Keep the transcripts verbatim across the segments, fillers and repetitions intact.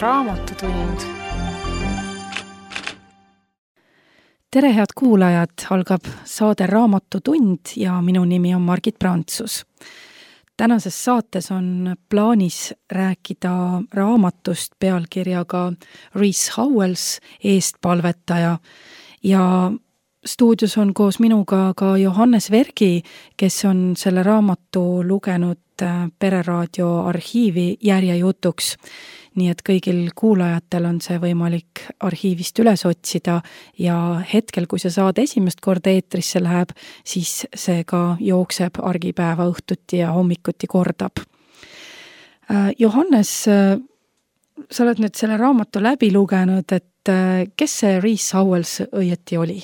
Raamatutund. Tere, head kuulajad, algab saade Raamatutund ja minu nimi on Margit Prantsus. Tänases saates on plaanis rääkida raamatust pealkirjaga Rees Howells, eestpalvetaja, ja stuudios on koos minuga ka Johannes Vergi, kes on selle raamatu lugenud Pereraadio arhiivi järjejutuks. Nii et kõigil kuulajatel on see võimalik arhiivist üles otsida ja hetkel, kui see saade esimest korda eetrisse läheb, siis see ka jookseb argipäeva õhtuti ja hommikuti kordab. Johannes, sa oled nüüd selle raamatu läbi lugenud, et kes see Rees Howells õieti oli?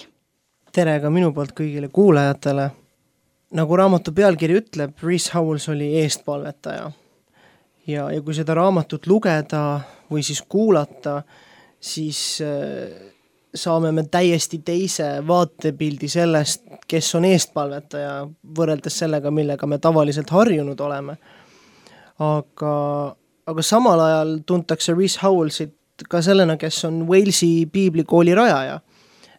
Tere ka minu poolt kõigile kuulajatele. Nagu raamatu pealkiri ütleb, Rees Howells oli eestpalvetaja. Ja, ja kui seda raamatut lugeda või siis kuulata, siis äh, saame me täiesti teise vaatepildi sellest, kes on eestpalvetaja, võrreldes sellega, millega me tavaliselt harjunud oleme. Aga, aga samal ajal tuntakse Rees Howellsit ka sellena, kes on Walesi piiblikooli rajaja.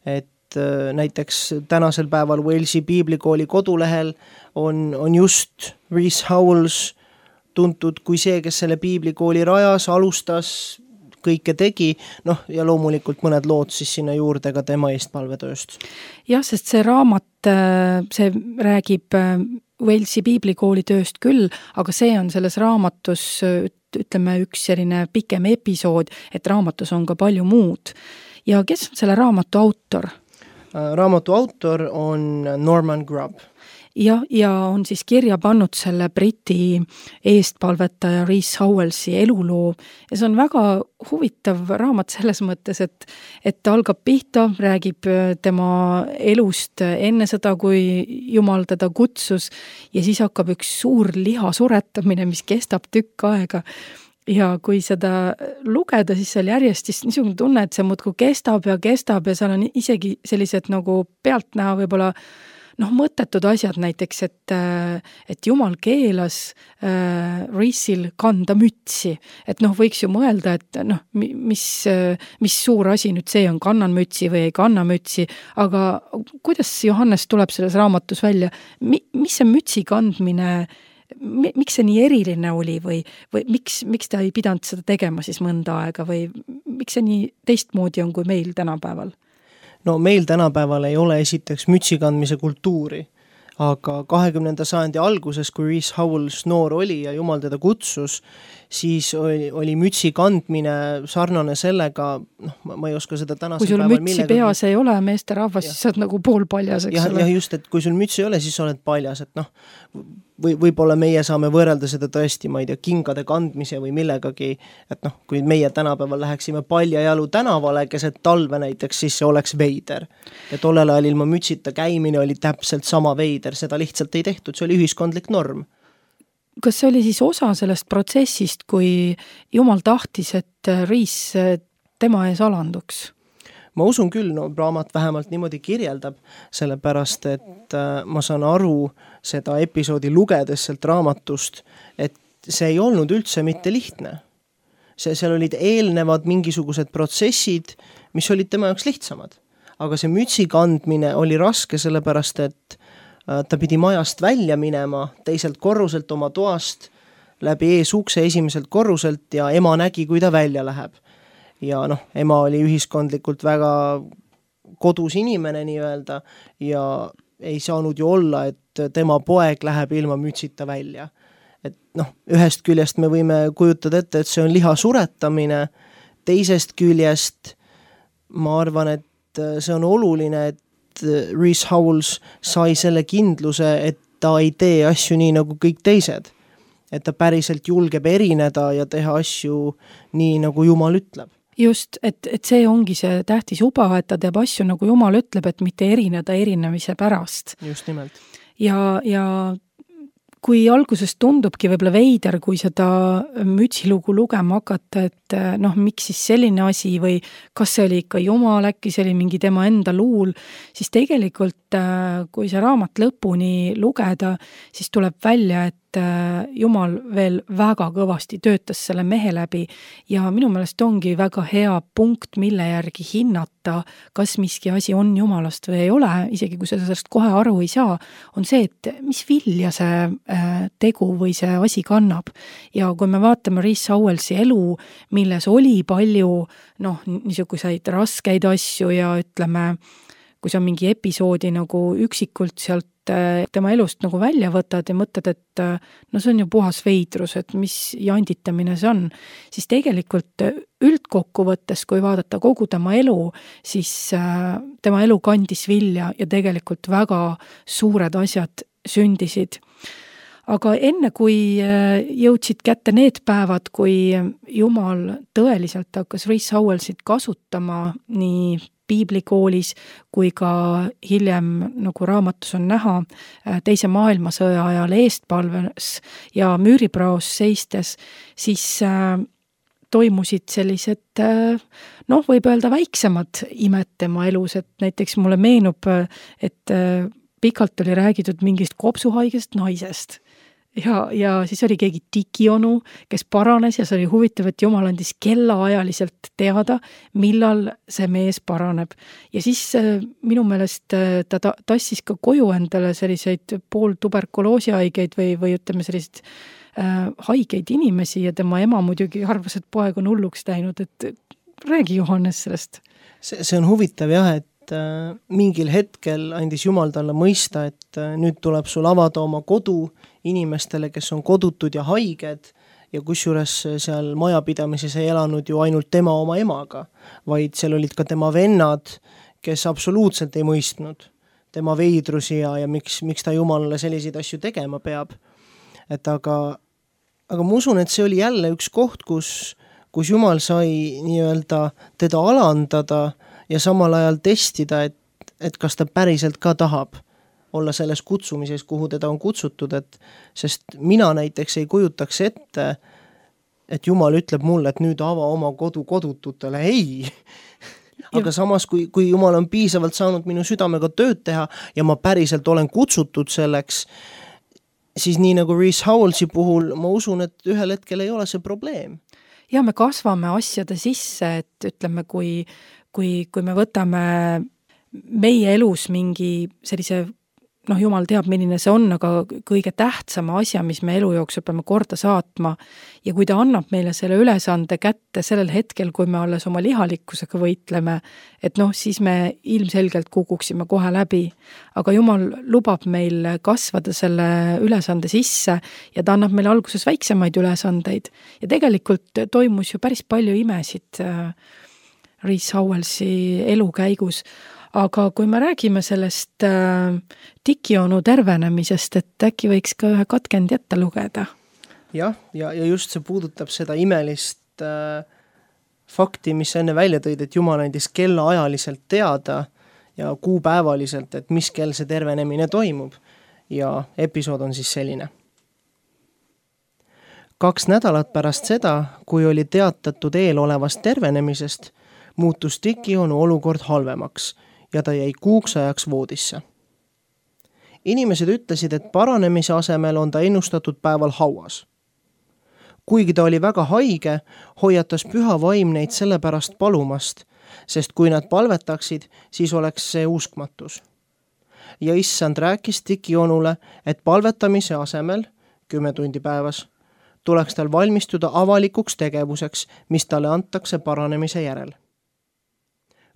Et äh, näiteks tänasel päeval Walesi piiblikooli kodulehel on, on just Rees Howells tuntud kui see, kes selle piiblikooli rajas, alustas, kõike tegi, noh ja loomulikult mõned lood siis sinna juurde ka tema eestpalvetööst. Jah, sest see raamat, see räägib Walesi piiblikooli tööst küll, aga see on selles raamatus, ütleme, üks selline pikem episood, et raamatus on ka palju muud. Ja kes on selle raamatu autor? Raamatu autor on Norman Grubb. Ja, ja on siis kirja pannud selle Briti eestpalvetaja Rees Howellsi eluloo. Ja see on väga huvitav raamat selles mõttes, et, et ta algab pihta, räägib tema elust enne seda, kui Jumal teda kutsus, ja siis hakkab üks suur liha suretamine, mis kestab tükk aega. Ja kui seda lugeda, siis seal järjest siis niisugune tunne, et see muudkui kestab ja kestab ja seal on isegi sellised nagu pealt näha võib-olla noh, mõttetud asjad näiteks, et, et Jumal keelas äh, Reesil kanda mütsi. Et noh, võiks ju mõelda, et noh, mis, mis suur asi nüüd see on, kannan mütsi või ei kanna mütsi, aga kuidas Johannes tuleb selles raamatus välja? Mi, mis see mütsi kandmine, mi, miks see nii eriline oli või, või miks, miks ta ei pidanud seda tegema siis mõnda aega või miks see nii teistmoodi on kui meil tänapäeval? No meil tänapäeval ei ole esiteks mütsi kandmise kultuuri, aga kahekümnenda sajandi alguses, kui Rees Howells noor oli ja Jumal teda kutsus, siis oli, oli mütsi kandmine sarnane sellega, noh, ma ei oska seda tänasel päeval. Kui sul mütsi millega... peas ei ole meeste rahvas, siis sa oled nagu pool paljas, eks ja, ole. Ja just, et kui sul mütsi ei ole, siis sa oled paljas, et noh, või, võib-olla meie saame võrrelda seda tõesti, ma ei tea, kingade kandmise või millegagi, et noh, kui meie tänapäeval läheksime paljajalu tänavale, keset talve näiteks, siis see oleks veider. Ja tollel ajal ilma mütsita käimine oli täpselt sama veider, seda lihtsalt ei tehtud, see oli ühiskondlik norm. Kas see oli siis osa sellest protsessist, kui Jumal tahtis, et Rees tema ees alanduks? Ma usun küll, no raamat vähemalt niimoodi kirjeldab, sellepärast, et ma saan aru seda episoodi lugedes sealt raamatust, et see ei olnud üldse mitte lihtne. See, seal olid eelnevad mingisugused protsessid, mis olid tema jaoks lihtsamad. Aga see mütsi kandmine oli raske, sellepärast, et ta pidi majast välja minema teiselt korruselt oma toast läbi eesukse esimeselt korruselt ja ema nägi, kui ta välja läheb. Ja noh, ema oli ühiskondlikult väga kodus inimene nii-öelda ja ei saanud ju olla, et tema poeg läheb ilma mütsita välja. Et noh, ühest küljest me võime kujutada ette, et see on liha suretamine, teisest küljest ma arvan, et see on oluline, et Rees Howells sai selle kindluse, et ta ei tee asju nii nagu kõik teised. Et ta päriselt julgeb erineda ja teha asju nii, nagu Jumal ütleb. Just, et, et see ongi see tähtis uba, et ta teeb asju, nagu Jumal ütleb, et mitte erineda erinemise pärast. Just nimelt. Ja, ja kui alguses tundubki võib-olla veider, kui seda mütsilugu lugema hakata, et et noh, miks siis selline asi või kas see oli ikka Jumal, äkki see oli mingi tema enda luul, siis tegelikult kui see raamat lõpuni lugeda, siis tuleb välja, et Jumal veel väga kõvasti töötas selle mehe läbi ja minu meelest ongi väga hea punkt, mille järgi hinnata, kas miski asi on Jumalast või ei ole, isegi kui sa sellest kohe aru ei saa, on see, et mis vilja see tegu või see asi kannab. Ja kui me vaatame Rees Howellsi elu, milles oli palju noh, niisuguseid raskeid asju ja ütleme, kui sa mingi episoodi nagu üksikult sealt tema elust nagu välja võtad ja mõtled, et no see on ju puhas veidrus, et mis janditamine see on, siis tegelikult üldkokkuvõttes, kui vaadata kogu tema elu, siis tema elu kandis vilja ja tegelikult väga suured asjad sündisid. Aga enne, kui jõudsid kätte need päevad, kui Jumal tõeliselt hakkas Rees Howellsit kasutama nii piiblikoolis kui ka hiljem, nagu raamatus on näha, teise maailmasõja ajal eestpalves ja müüripraos seistes, siis toimusid sellised, noh, võib öelda väiksemad imed tema elus, et näiteks mulle meenub, et pikalt oli räägitud mingist kopsuhaigest naisest. Ja, ja siis oli keegi dikionu, kes paranes ja see oli huvitav, et Jumal andis kellaajaliselt teada, millal see mees paraneb. Ja siis minu meelest ta tassis ka koju endale selliseid pool tuberkuloosihaigeid või, või ütleme sellised äh, haigeid inimesi ja tema ema muidugi arvas, et poeg on hulluks läinud, et räägi Johannes sellest. See, see on huvitav jah, et äh, mingil hetkel andis Jumal talle mõista, et äh, nüüd tuleb sul avada oma kodu inimestele, kes on kodutud ja haiged ja kusjuures seal majapidamises ei elanud ju ainult tema oma emaga, vaid seal olid ka tema vennad, kes absoluutselt ei mõistnud tema veidrusi ja, ja miks, miks ta Jumalale selliseid asju tegema peab. Et aga, aga ma usun, et see oli jälle üks koht, kus, kus Jumal sai nii-öelda teda alandada ja samal ajal testida, et, et kas ta päriselt ka tahab olla selles kutsumises, kuhu teda on kutsutud, et sest mina näiteks ei kujutaks ette, et Jumal ütleb mulle, et nüüd ava oma kodu kodututele, ei. Aga samas, kui, kui Jumal on piisavalt saanud minu südamega tööd teha ja ma päriselt olen kutsutud selleks, siis nii nagu Rees Howellsi puhul ma usun, et ühel hetkel ei ole see probleem. Ja me kasvame asjade sisse, et ütleme, kui, kui, kui me võtame meie elus mingi sellise noh, Jumal teab, milline see on, aga kõige tähtsama asja, mis me elu jooksul peame korda saatma ja kui ta annab meile selle ülesande kätte sellel hetkel, kui me alles oma lihalikkusega võitleme, et noh, siis me ilmselgelt kukuksime kohe läbi. Aga Jumal lubab meil kasvada selle ülesande sisse ja ta annab meile alguses väiksemaid ülesandeid ja tegelikult toimus ju päris palju imesid Rees Howellsi elu käigus. Aga kui me räägime sellest äh, dikionu tervenemisest, et äkki võiks ka ühe katkend jätta lugeda? Jah, ja, ja just see puudutab seda imelist äh, fakti, mis enne välja tõid, et Jumal andis kella ajaliselt teada ja kuupäevaliselt, et mis kell see tervenemine toimub. Ja episood on siis selline. Kaks nädalat pärast seda, kui oli teatatud eelolevast tervenemisest, muutus dikionu olukord halvemaks ja ta jäi kuuks ajaks voodisse. Inimesed ütlesid, et paranemise asemel on ta ennustatud päeval hauas. Kuigi ta oli väga haige, hoiatas püha vaim neid selle pärast palumast, sest kui nad palvetaksid, siis oleks see uskmatus. Ja issand rääkis dikionule, et palvetamise asemel, kümme tundi päevas, tuleks tal valmistuda avalikuks tegevuseks, mis talle antakse paranemise järel.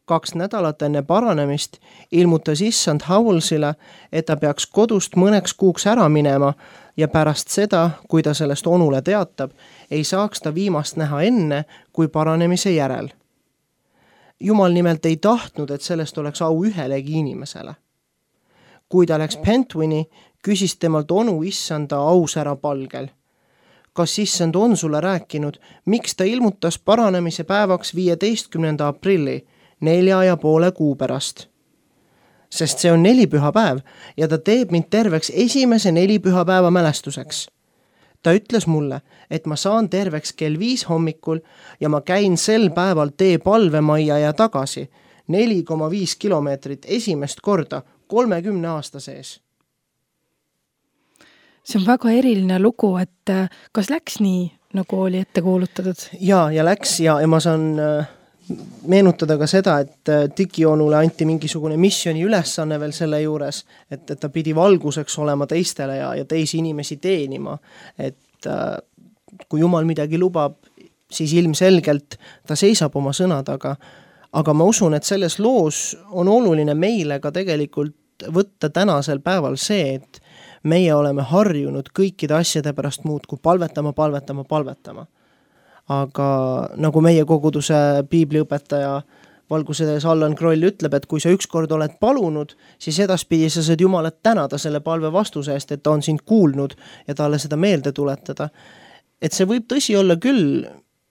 Kaks nädalat enne paranemist ilmutas issand Howellsile, et ta peaks kodust mõneks kuuks ära minema ja pärast seda, kui ta sellest onule teatab, ei saaks ta viimast näha enne kui paranemise järel. Jumal nimelt ei tahtnud, et sellest oleks au ühelegi inimesele. Kui ta läks Pentwini, küsis temalt onu issanda ausära palgel. Kas issand on sulle rääkinud, miks ta ilmutas paranemise päevaks viieteistkümnenda aprilli, nelja ja poole kuu pärast? Sest see on nelipühapäev ja ta teeb mind terveks esimese nelipühapäeva mälestuseks. ta ütles mulle, et ma saan terveks kell viis hommikul ja ma käin sel päeval tee palvemajja ja tagasi neli koma viis kilomeetrit esimest korda kolmekümne aasta sees. See on väga eriline lugu, et kas läks nii, nagu oli ette kuulutatud? Jaa, ja läks ja, ja ma saan meenutada ka seda, et Dikijonule anti mingisugune missiooni ülesanne veel selle juures, et, et ta pidi valguseks olema teistele ja, ja teisi inimesi teenima. Et kui Jumal midagi lubab, siis ilmselgelt ta seisab oma sõna taga. Aga ma usun, et selles loos on oluline meile ka tegelikult võtta tänasel päeval see, et meie oleme harjunud kõikide asjade pärast muud kui palvetama, palvetama, palvetama. Aga nagu meie koguduse piibliõpetaja valgusedes Allan Kroll ütleb, et kui sa ükskord oled palunud, siis edaspidi sa saad Jumalat tänada selle palve vastuse eest, et ta on sind kuulnud ja talle seda meelde tuletada. Et see võib tõsi olla küll,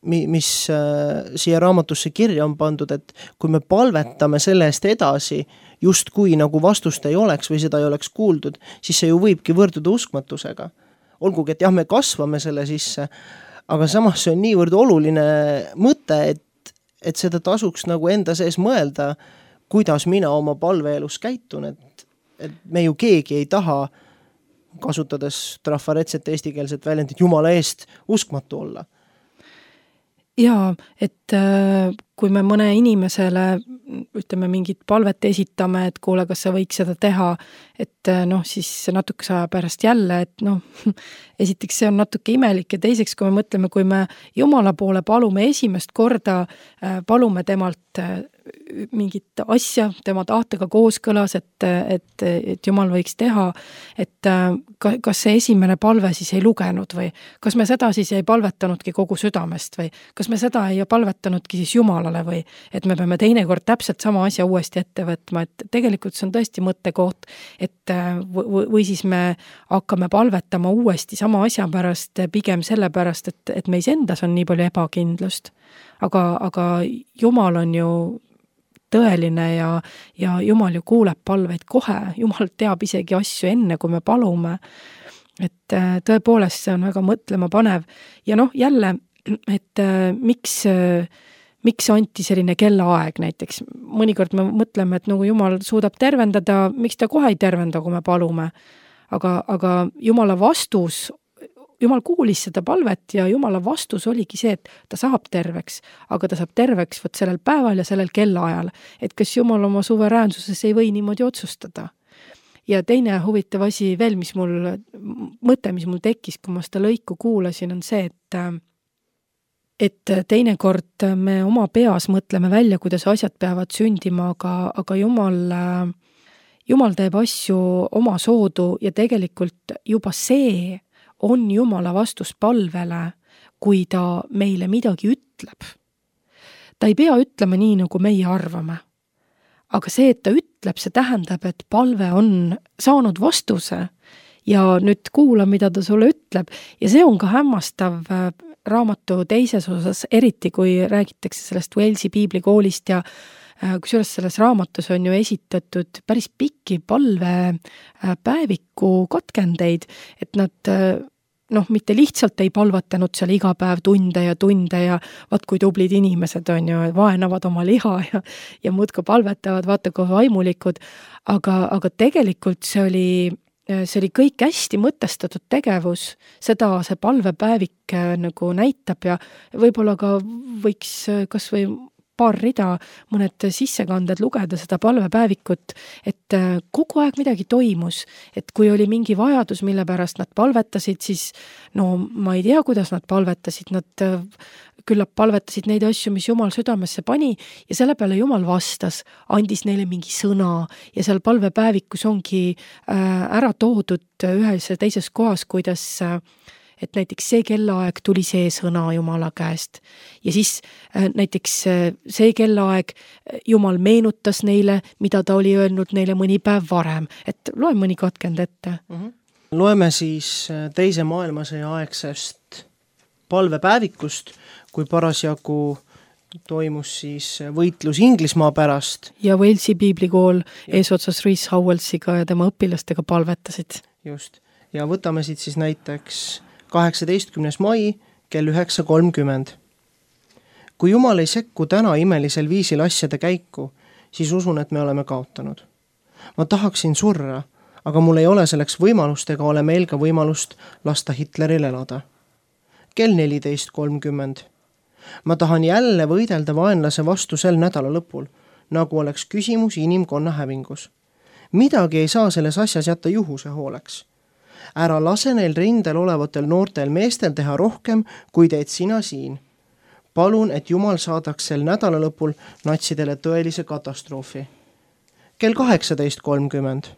mis äh, siia raamatusse kirja on pandud, et kui me palvetame selle eest edasi, just kui nagu vastust ei oleks või seda ei oleks kuuldud, siis see ju võibki võrduda uskmatusega. Olgugi, et jah, me kasvame selle sisse, aga samas see on niivõrd oluline mõte, et, et seda tasuks nagu enda sees mõelda, kuidas mina oma palveelus käitun, et, et me ju keegi ei taha, kasutades trafaretset eestikeelset väljendit, Jumala eest uskmatu olla. Jaa, et kui me mõne inimesele ütleme mingit palvet esitame, et kuule, kas sa võiks seda teha, et noh, siis natukese aja pärast jälle, et noh, esiteks see on natuke imelik ja teiseks, kui me mõtleme, kui me Jumala poole palume esimest korda, palume temalt mingit asja, tema tahtega kooskõlas, et, et, et Jumal võiks teha, et kas see esimene palve siis ei lugenud või kas me seda siis ei palvetanudki kogu südamest või kas me seda ei palvetanudki siis Jumalale või et me peame teinekord täpselt sama asja uuesti ette võtma, et tegelikult see on tõesti mõttekoht, et või, või siis me hakkame palvetama uuesti sama asja pärast, pigem selle pärast, et, et meis endas on nii palju ebakindlust. Aga, aga Jumal on ju tõeline ja, ja Jumal ju kuuleb palveid kohe, Jumal teab isegi asju enne, kui me palume. Et tõepoolest see on väga mõtlema panev. Ja noh, jälle, et miks, miks anti selline kellaaeg näiteks. Mõnikord me mõtleme, et nagu Jumal suudab tervendada, miks ta kohe ei tervenda, kui me palume. Aga, aga Jumala vastus Jumal kuulis seda palvet ja Jumala vastus oligi see, et ta saab terveks, aga ta saab terveks võt sellel päeval ja sellel kellaajal. Et kas Jumal oma suveräänsuses ei või niimoodi otsustada. Ja teine huvitav asi veel, mis mul, mõte, mis mul tekkis, kui ma seda lõiku kuulasin, on see, et, et teinekord me oma peas mõtleme välja, kuidas asjad peavad sündima, aga, aga Jumal, Jumal teeb asju oma soodu ja tegelikult juba see on Jumala vastus palvele, kui ta meile midagi ütleb. Ta ei pea ütlema nii, nagu meie arvame. Aga see, et ta ütleb, see tähendab, et palve on saanud vastuse ja nüüd kuula, mida ta sulle ütleb. Ja see on ka hämmastav raamatu teises osas, eriti kui räägitakse sellest Walesi piiblikoolist ja kusjuures selles raamatus on ju esitatud päris pikki palve päeviku katkendeid, et nad noh, mitte lihtsalt ei palvatanud seal iga päev tunde ja tunde ja vaat kui tublid inimesed on ju, vaenavad oma liha ja, ja muudka palvetavad, vaata kui vaimulikud, aga, aga tegelikult see oli, see oli kõik hästi mõtestatud tegevus, seda see palvepäevik nagu näitab ja võib-olla ka võiks kas või paar rida, mõned sissekanded lugeda seda palvepäevikut, et kogu aeg midagi toimus, et kui oli mingi vajadus, mille pärast nad palvetasid, siis no ma ei tea, kuidas nad palvetasid, nad küllap palvetasid neid asju, mis Jumal südamesse pani ja selle peale Jumal vastas, andis neile mingi sõna ja seal palvepäevikus ongi ära toodud ühes ja teises kohas, kuidas et näiteks see kellaaeg tuli see sõna Jumala käest. Ja siis näiteks see kellaaeg Jumal meenutas neile, mida ta oli öelnud neile mõni päev varem. Et loe mõni katkend ette. Mm-hmm. Loeme siis teise maailmasõja aegsest palvepäevikust, kui parasjagu toimus siis võitlus Inglismaa pärast. Ja Walesi piiblikool eesotsas Rees Howellsiga ja tema õpilastega palvetasid. Just. Ja võtame siit siis näiteks kaheksateistkümnes mai kell üheksa kolmkümmend. Kui Jumal ei sekku täna imelisel viisil asjade käiku, siis usun, et me oleme kaotanud. Ma tahaksin surra, aga mul ei ole selleks võimalust ega ole meil ka võimalust lasta Hitleril elada. Kell neliteist kolmkümmend. Ma tahan jälle võidelda vaenlase vastu sel nädala lõpul, nagu oleks küsimus inimkonna hävingus. Midagi ei saa selles asjas jätta juhuse hooleks. Ära lase neil rindel olevatel noortel meestel teha rohkem, kui teed sina siin. Palun, et Jumal saadaks sel nädala lõpul natsidele tõelise katastroofi. Kell kaheksateist kolmkümmend.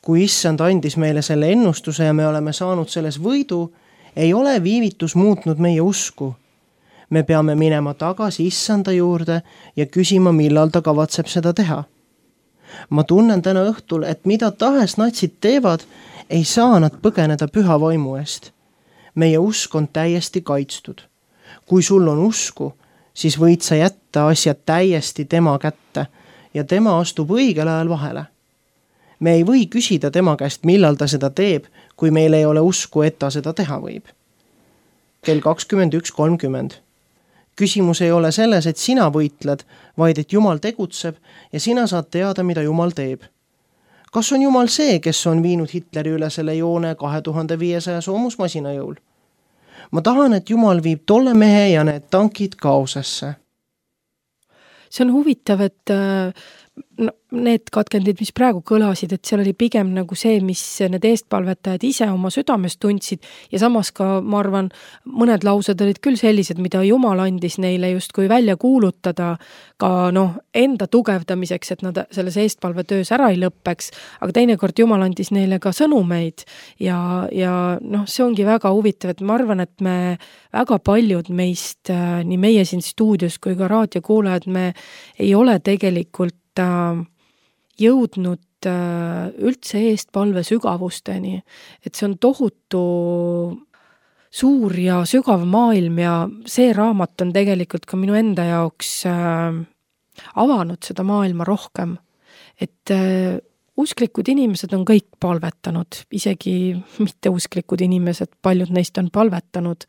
Kui issand andis meile selle ennustuse ja me oleme saanud selles võidu, ei ole viivitus muutnud meie usku. Me peame minema tagasi issanda juurde ja küsima, millal ta kavatseb seda teha. Ma tunnen täna õhtul, et mida tahes natsid teevad, ei saa nad põgeneda püha vaimu eest. Meie usk on täiesti kaitstud. Kui sul on usku, siis võid sa jätta asjad täiesti tema kätte ja tema astub õigel ajal vahele. Me ei või küsida tema käest, millal ta seda teeb, kui meil ei ole usku, et ta seda teha võib. Kell kakskümmend üks kolmkümmend. Küsimus ei ole selles, et sina võitled, vaid et Jumal tegutseb ja sina saad teada, mida Jumal teeb. Kas on Jumal see, kes on viinud Hitleri üle selle joone kahe tuhande viiesaja soomusmasina jõul? Ma tahan, et Jumal viib tolle mehe ja need tankid kaosesse. See on huvitav, et no, need katkendid, mis praegu kõlasid, et seal oli pigem nagu see, mis need eestpalvetajad ise oma südames tundsid ja samas ka, ma arvan, mõned laused olid küll sellised, mida Jumal andis neile justkui välja kuulutada ka noh, enda tugevdamiseks, et nad selles eestpalvetöös ära ei lõppeks, aga teinekord Jumal andis neile ka sõnumeid ja, ja noh, see ongi väga huvitav, et ma arvan, et me väga paljud meist, nii meie siin stuudios kui ka raadiokuulajad, me ei ole tegelikult jõudnud üldse eestpalve sügavusteni, et see on tohutu suur ja sügav maailm ja see raamat on tegelikult ka minu enda jaoks avanud seda maailma rohkem, et usklikud inimesed on kõik palvetanud, isegi mitteusklikud inimesed, paljud neist on palvetanud,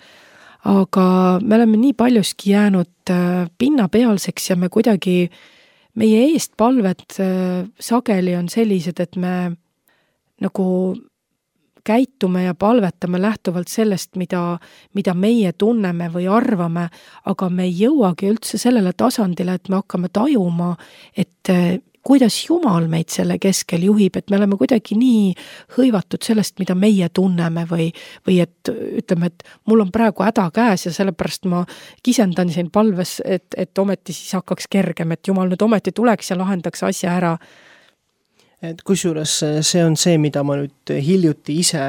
aga me oleme nii paljuski jäänud pinnapealseks ja me kuidagi meie eestpalved sageli on sellised, et me nagu käitume ja palvetame lähtuvalt sellest, mida, mida meie tunneme või arvame, aga me ei jõuagi üldse sellele tasandile, et me hakkame tajuma, et kuidas Jumal meid selle keskel juhib, et me oleme kuidagi nii hõivatud sellest, mida meie tunneme või, või et ütleme, et mul on praegu häda käes ja sellepärast ma kisendan siin palves, et, et ometi siis hakkaks kergem, et Jumal nüüd ometi tuleks ja lahendaks asja ära. Et kusjuures see on see, mida ma nüüd hiljuti ise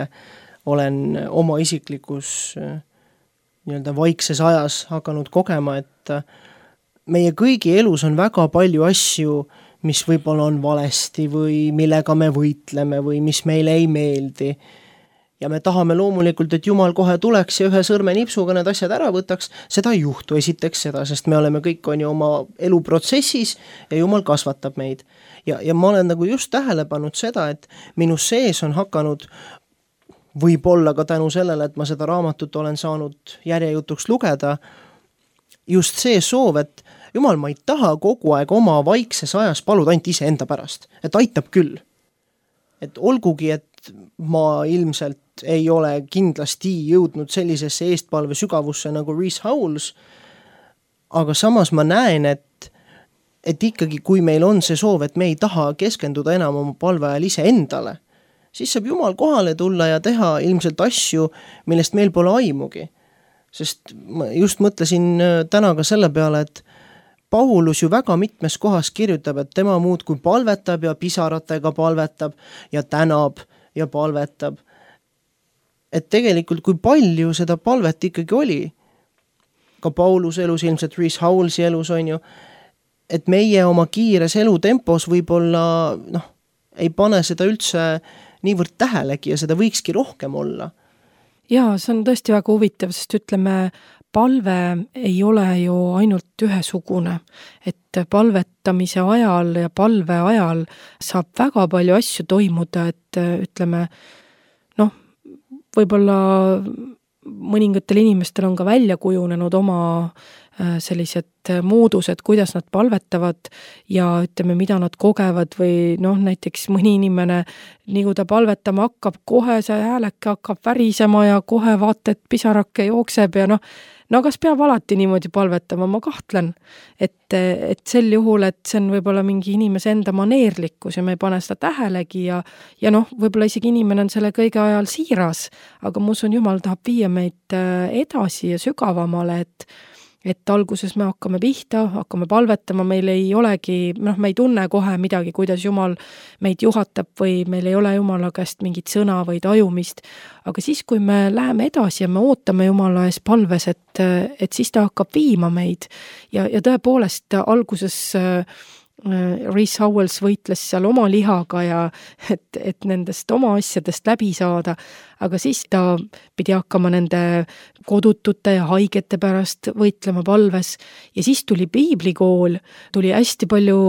olen oma isiklikus nii-öelda vaikses ajas hakanud kogema, et meie kõigi elus on väga palju asju, mis võib-olla on valesti või millega me võitleme või mis meile ei meeldi. Ja me tahame loomulikult, et Jumal kohe tuleks ja ühe sõrme nipsuga need asjad ära võtaks. Seda ei juhtu esiteks seda, sest me oleme kõik on ju oma eluprotsessis ja Jumal kasvatab meid. Ja, ja ma olen nagu just tähele pannud seda, et minu sees on hakanud võib-olla ka tänu sellele, et ma seda raamatut olen saanud järjejutuks lugeda, just see soov, et Jumal, ma ei taha kogu aeg oma vaikses ajas paluda ainult ise enda pärast, et aitab küll. Et olgugi, et ma ilmselt ei ole kindlasti jõudnud sellisesse eestpalve sügavusse nagu Rees Howells, aga samas ma näen, et, et ikkagi kui meil on see soov, et me ei taha keskenduda enam oma palve ajal ise endale, siis saab Jumal kohale tulla ja teha ilmselt asju, millest meil pole aimugi. Sest ma just mõtlesin täna ka selle peale, et Paulus ju väga mitmes kohas kirjutab, et tema muud kui palvetab ja pisaratega palvetab ja tänab ja palvetab. Et tegelikult kui palju seda palvet ikkagi oli, ka Paulus elus, ilmselt Rees Howellsi elus on ju, et meie oma kiires elutempos võib-olla noh, ei pane seda üldse niivõrd tähelegi ja seda võikski rohkem olla. Jaa, see on tõesti väga huvitav, sest ütleme, palve ei ole ju ainult ühesugune, et palvetamise ajal ja palve ajal saab väga palju asju toimuda, et ütleme, noh, võib-olla mõningatel inimestel on ka välja kujunenud oma sellised moodused, kuidas nad palvetavad ja ütleme, mida nad kogevad või noh, näiteks mõni inimene, nii kui ta palvetama hakkab, kohe see hääleke hakkab värisema ja kohe vaata, et pisarake jookseb ja noh, no kas peab alati niimoodi palvetama, ma kahtlen, et, et sel juhul, et see on võib-olla mingi inimese enda maneerlikkus ja me ei pane seda tähelegi ja, ja noh, võib-olla isegi inimene on selle kõige ajal siiras, aga ma usun, Jumal tahab viia meid edasi ja sügavamale, et et alguses me hakkame pihta, hakkame palvetama, meil ei olegi, noh, me ei tunne kohe midagi, kuidas Jumal meid juhatab või meil ei ole Jumala käest mingit sõna või tajumist, aga siis, kui me läheme edasi ja me ootame Jumala ees palves, et, et siis ta hakkab viima meid ja, ja tõepoolest alguses Rees Howells võitles seal oma lihaga ja et, et nendest oma asjadest läbi saada, aga siis ta pidi hakkama nende kodutute ja haigete pärast võitlema palves ja siis tuli piiblikool, tuli hästi palju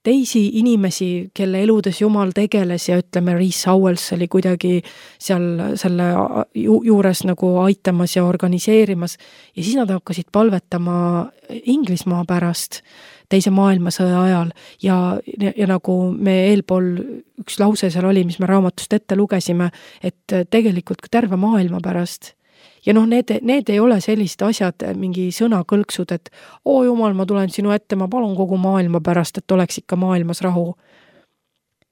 teisi inimesi, kelle eludes Jumal tegeles ja ütleme, Rees Howells oli kuidagi seal selle ju, juures nagu aitamas ja organiseerimas ja siis nad hakkasid palvetama Inglismaa pärast teise maailmasõja ajal ja, ja, ja nagu me eelpool üks lause seal oli, mis me raamatust ette lugesime, et tegelikult ka terve maailma pärast. Ja noh, need, need ei ole sellised asjad, mingi sõnakõlksud, et oo Jumal, ma tulen sinu ette, ma palun kogu maailma pärast, et oleks ikka maailmas rahu.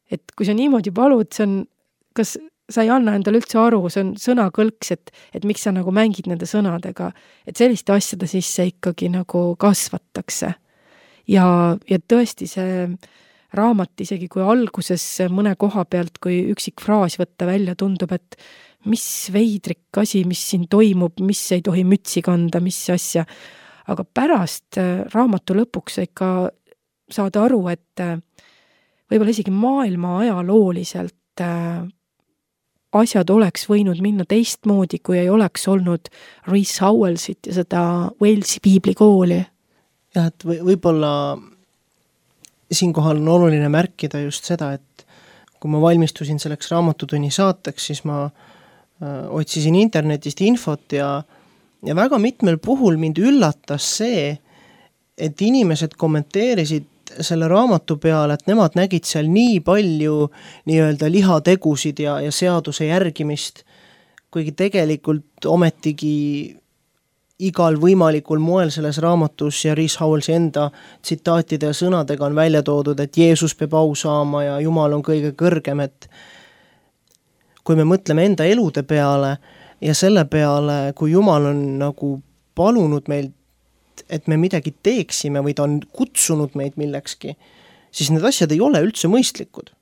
Et kui sa niimoodi palud, see on, kas sa ei anna endale üldse aru, see on sõnakõlks, et, et miks sa nagu mängid nende sõnadega, et selliste asjade sisse ikkagi nagu kasvatakse. Ja, ja tõesti see raamat isegi kui alguses mõne koha pealt, kui üksik fraas võtta välja, tundub, et mis veidrik asi, mis siin toimub, mis ei tohi mütsi kanda, mis asja. Aga pärast raamatu lõpuks ikka saada aru, et võib-olla isegi maailma ajalooliselt asjad oleks võinud minna teistmoodi, kui ei oleks olnud Rees Howellsit ja seda Walesi piiblikooli. Jah, et või, võib-olla siinkohal on oluline märkida just seda, et kui ma valmistusin selleks raamatutunni saateks, siis ma äh, otsisin internetist infot ja, ja väga mitmel puhul mind üllatas see, et inimesed kommenteerisid selle raamatu peale, et nemad nägid seal nii palju nii-öelda lihategusid ja, ja seaduse järgimist, kuigi tegelikult ometigi igal võimalikul moel selles raamatus ja Rees Howellsi enda tsitaatide ja sõnadega on välja toodud, et Jeesus peab au saama ja Jumal on kõige kõrgem, et kui me mõtleme enda elude peale ja selle peale, kui Jumal on nagu palunud meilt, et me midagi teeksime või ta on kutsunud meid millekski, siis need asjad ei ole üldse mõistlikud.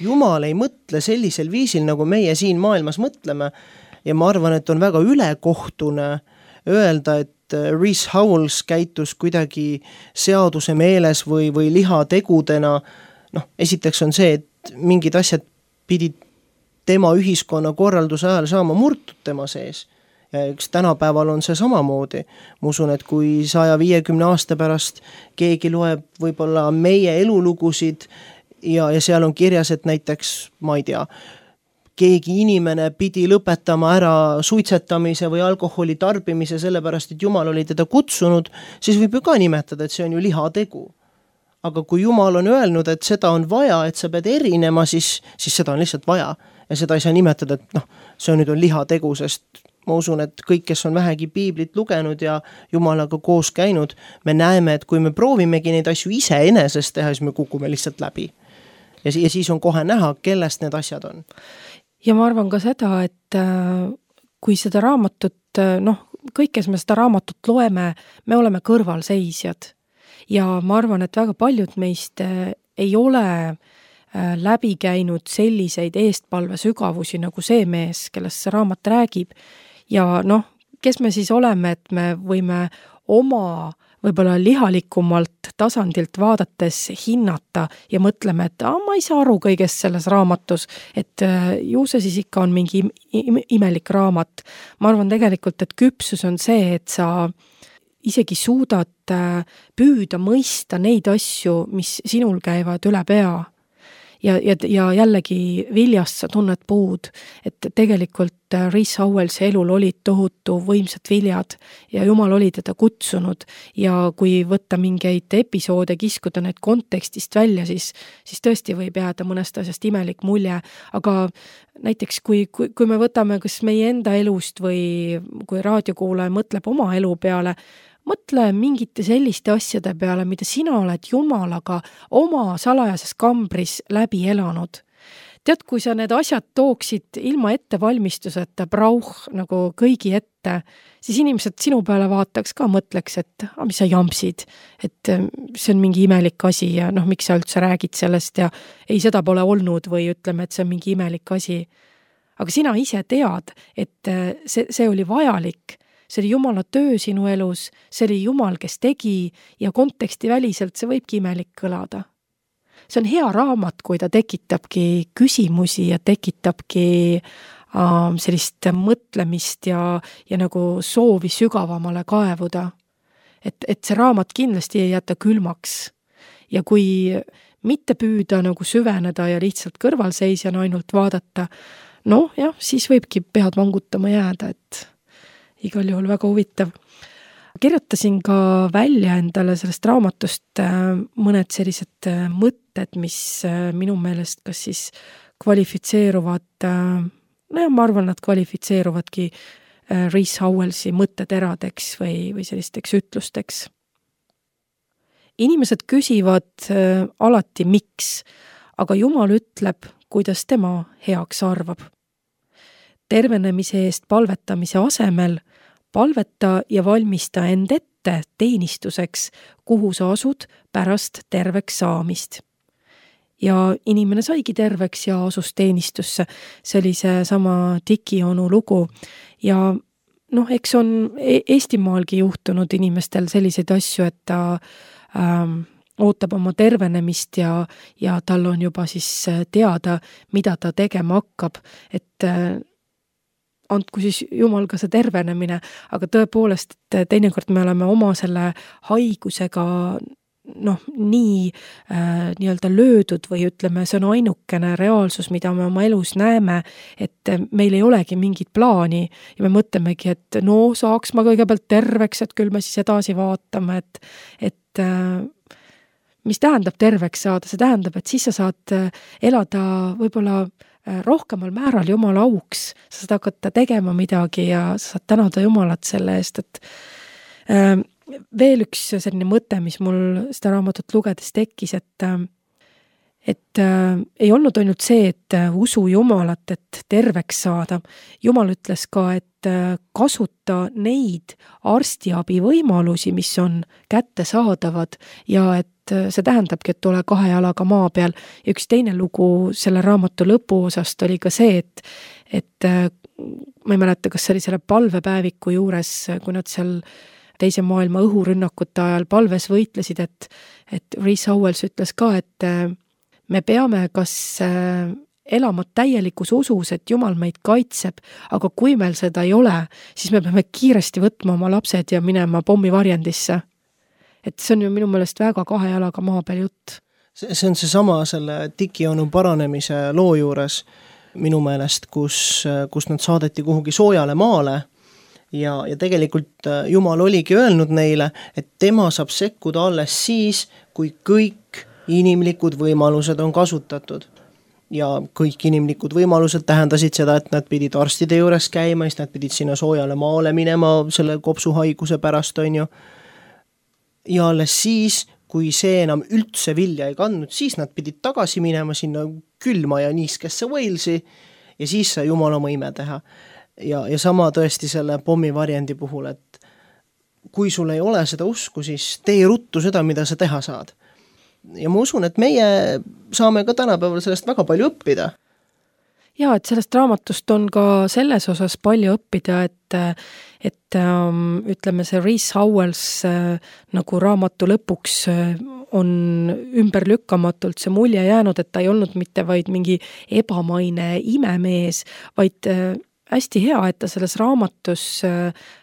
Jumal ei mõtle sellisel viisil, nagu meie siin maailmas mõtleme ja ma arvan, et on väga ülekohtune öelda, et Rees Howells käitus kuidagi seaduse meeles või, või lihategudena, noh, esiteks on see, et mingid asjad pidid tema ühiskonna korralduse ajal saama murtud tema sees. Ja üks tänapäeval on see samamoodi. Ma usun, et kui saja viiekümne aasta pärast keegi loeb võib-olla meie elulugusid ja, ja seal on kirjas, et näiteks, ma ei tea, keegi inimene pidi lõpetama ära suitsetamise või alkoholi tarbimise sellepärast, et Jumal oli teda kutsunud, siis võib ju ka nimetada, et see on ju lihategu. Aga kui Jumal on öelnud, et seda on vaja, et sa pead erinema, siis, siis seda on lihtsalt vaja. Ja seda ei saa nimetada, et noh, see on nüüd on lihategu, sest ma usun, et kõik, kes on vähegi piiblit lugenud ja Jumalaga koos käinud, me näeme, et kui me proovimegi neid asju ise enesest teha, siis me kukume lihtsalt läbi. Ja, ja siis on kohe näha, kellest need asjad on. Ja ma arvan ka seda, et kui seda raamatut, noh, kõik, kes me seda raamatut loeme, me oleme kõrvalseisjad. Ja ma arvan, et väga paljud meist ei ole läbi käinud selliseid eestpalve sügavusi nagu see mees, kellest see raamat räägib. Ja noh, kes me siis oleme, et me võime oma võib-olla lihalikumalt tasandilt vaadates hinnata ja mõtleme, et ah, ma ei saa aru kõigest selles raamatus, et ju see siis ikka on mingi imelik raamat. Ma arvan tegelikult, et küpsus on see, et sa isegi suudad püüda mõista neid asju, mis sinul käivad üle pea. ja, ja, ja jällegi viljast sa tunned puud, et tegelikult Rees Howellsi elul olid tohutu võimsad viljad ja Jumal oli teda kutsunud ja kui võtta mingeid episoode, kiskuda need kontekstist välja, siis, siis tõesti võib jääda mõnest asjast imelik mulje, aga näiteks kui, kui, kui me võtame kas meie enda elust või kui raadiokuulaja mõtleb oma elu peale, mõtle mingite selliste asjade peale, mida sina oled Jumalaga oma salajases kambris läbi elanud. Tead, kui sa need asjad tooksid ilma ettevalmistuseta brauh nagu kõigi ette, siis inimesed sinu peale vaataks ka, mõtleks, et ah, mis sa jampsid, et see on mingi imelik asi ja noh, miks sa üldse räägid sellest ja ei, seda pole olnud või ütleme, et see on mingi imelik asi. Aga sina ise tead, et see, see oli vajalik. See oli Jumala töö sinu elus, see oli Jumal, kes tegi ja konteksti väliselt see võibki imelik kõlada. See on hea raamat, kui ta tekitabki küsimusi ja tekitabki äh, sellist mõtlemist ja, ja nagu soovi sügavamale kaevuda. Et, et see raamat kindlasti ei jäta külmaks. Ja kui mitte püüda nagu süveneda ja lihtsalt kõrvalseisjana ainult vaadata, noh jah, siis võibki pead vangutama jääda, et igal juhul väga huvitav. Kirjutasin ka välja endale sellest raamatust mõned sellised mõtted, mis minu meelest kas siis kvalifitseeruvad, no ja ma arvan, nad kvalifitseeruvadki Rees Howellsi mõtteteradeks või, või sellisteks ütlusteks. Inimesed küsivad alati miks, aga Jumal ütleb, kuidas tema heaks arvab. Tervenemise eest palvetamise asemel palveta ja valmista end ette teenistuseks, kuhu sa asud pärast terveks saamist. Ja inimene saigi terveks ja asus teenistusse. See oli see sama Tiki onu lugu. Ja noh, eks on Eestimaalgi juhtunud inimestel selliseid asju, et ta ähm, ootab oma tervenemist ja, ja tal on juba siis teada, mida ta tegema hakkab, et äh, andku siis Jumal ka see tervenemine, aga tõepoolest, et teinekord me oleme oma selle haigusega noh, nii äh, nii-öelda löödud või ütleme, see on ainukene reaalsus, mida me oma elus näeme, et meil ei olegi mingit plaani ja me mõtlemegi, et no saaks ma kõigepealt terveks, et küll me siis edasi vaatame, et, et äh, mis tähendab terveks saada, see tähendab, et siis sa saad elada võib-olla rohkemal määral Jumala auks, sa saad hakata tegema midagi ja sa saad tänada Jumalat selle eest, et äh, veel üks selline mõte, mis mul seda raamatut lugedes tekkis, et, et äh, ei olnud ainult see, et usu Jumalat, et terveks saada. Jumal ütles ka, et äh, kasuta neid arstiabi võimalusi, mis on kättesaadavad ja et see tähendabki, et ole kahe jalaga maa peal. Ja üks teine lugu selle raamatu lõpuosast oli ka see, et, et ma ei mäleta, kas see oli selle palvepäeviku juures, kui nad seal teise maailma õhurünnakute ajal palves võitlesid, et, et Rees Howells ütles ka, et me peame kas elama täielikus usus, et Jumal meid kaitseb, aga kui meil seda ei ole, siis me peame kiiresti võtma oma lapsed ja minema pommivarjendisse. Et see on ju minu meelest väga kahe jalaga maa peal jutt. See, see on see sama selle Tiki onu paranemise loo juures minu meelest, kus, kus nad saadeti kuhugi soojale maale ja, ja tegelikult Jumal oligi öelnud neile, et tema saab sekkuda alles siis, kui kõik inimlikud võimalused on kasutatud. Ja kõik inimlikud võimalused tähendasid seda, et nad pidid arstide juures käima, siis nad pidid sinna soojale maale minema selle kopsuhaiguse pärast, on ju. Ja alles siis, kui see enam üldse vilja ei kandnud, siis nad pidid tagasi minema sinna külma ja niiskesse Walesi ja siis sai Jumal oma ime teha. Ja, ja sama tõesti selle pommivarjendi puhul, et kui sul ei ole seda usku, siis tee ruttu seda, mida sa teha saad. Ja ma usun, et meie saame ka tänapäeval sellest väga palju õppida. Ja, et sellest raamatust on ka selles osas palju õppida, et, et ähm, ütleme see Rees Howells äh, nagu raamatu lõpuks äh, on ümberlükkamatult see mulje jäänud, et ta ei olnud mitte vaid mingi ebamaine imemees, vaid äh, hästi hea, et ta selles raamatus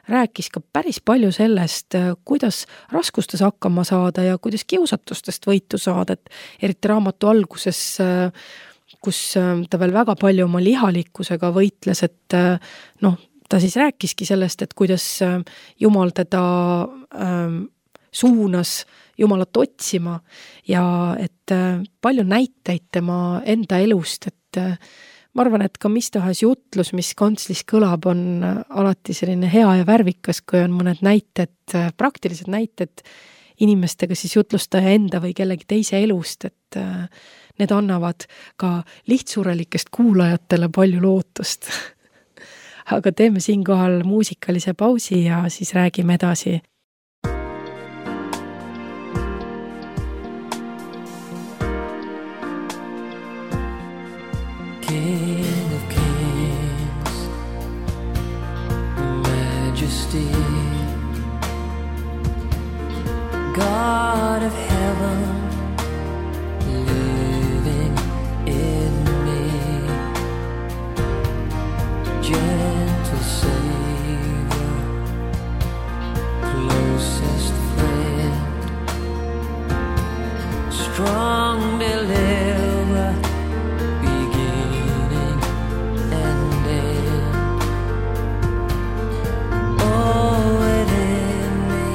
rääkis ka päris palju sellest, kuidas raskustes hakkama saada ja kuidas kiusatustest võitu saada, et eriti raamatu alguses, kus ta veel väga palju oma lihalikkusega võitles, et noh, ta siis rääkiski sellest, et kuidas Jumal teda ähm, suunas Jumalat otsima ja et palju näiteid tema enda elust, et ma arvan, et ka mis tahes jutlus, mis kantslis kõlab, on alati selline hea ja värvikas, kui on mõned näited, praktilised näited inimestega siis jutlustaja enda või kellegi teise elust, et need annavad ka lihtsurelikest kuulajatele palju lootust. Aga teeme siinkohal muusikalise pausi ja siis räägime edasi. King of kings, majesty, God of heaven, living in me, gentle Savior, closest friend, strong deliverer, beginning and end. Oh, within me